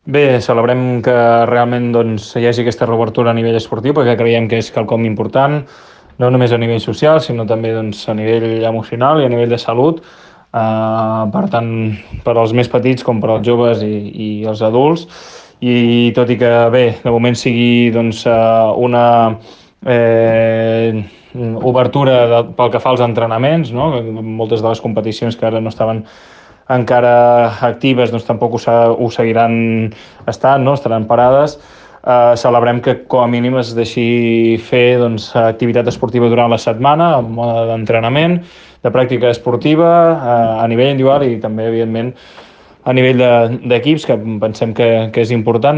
Bé, celebrem que realment hi hagi aquesta reobertura a nivell esportiu, perquè creiem que és quelcom important, no només a nivell social, sinó també a nivell emocional i a nivell de salut. Per tant, per als més petits com per als joves i els adults. I tot i que, bé, de moment sigui una obertura pel que fa als entrenaments, no? Moltes de les competicions que ara no estaven encara actives tampoc ho seguiran estant, no? Estaran parades. Celebrem que com a mínim es deixi fer activitat esportiva durant la setmana, en mode d'entrenament, de pràctica esportiva, a nivell individual i també, evidentment, a nivell d'equips, que pensem que és important.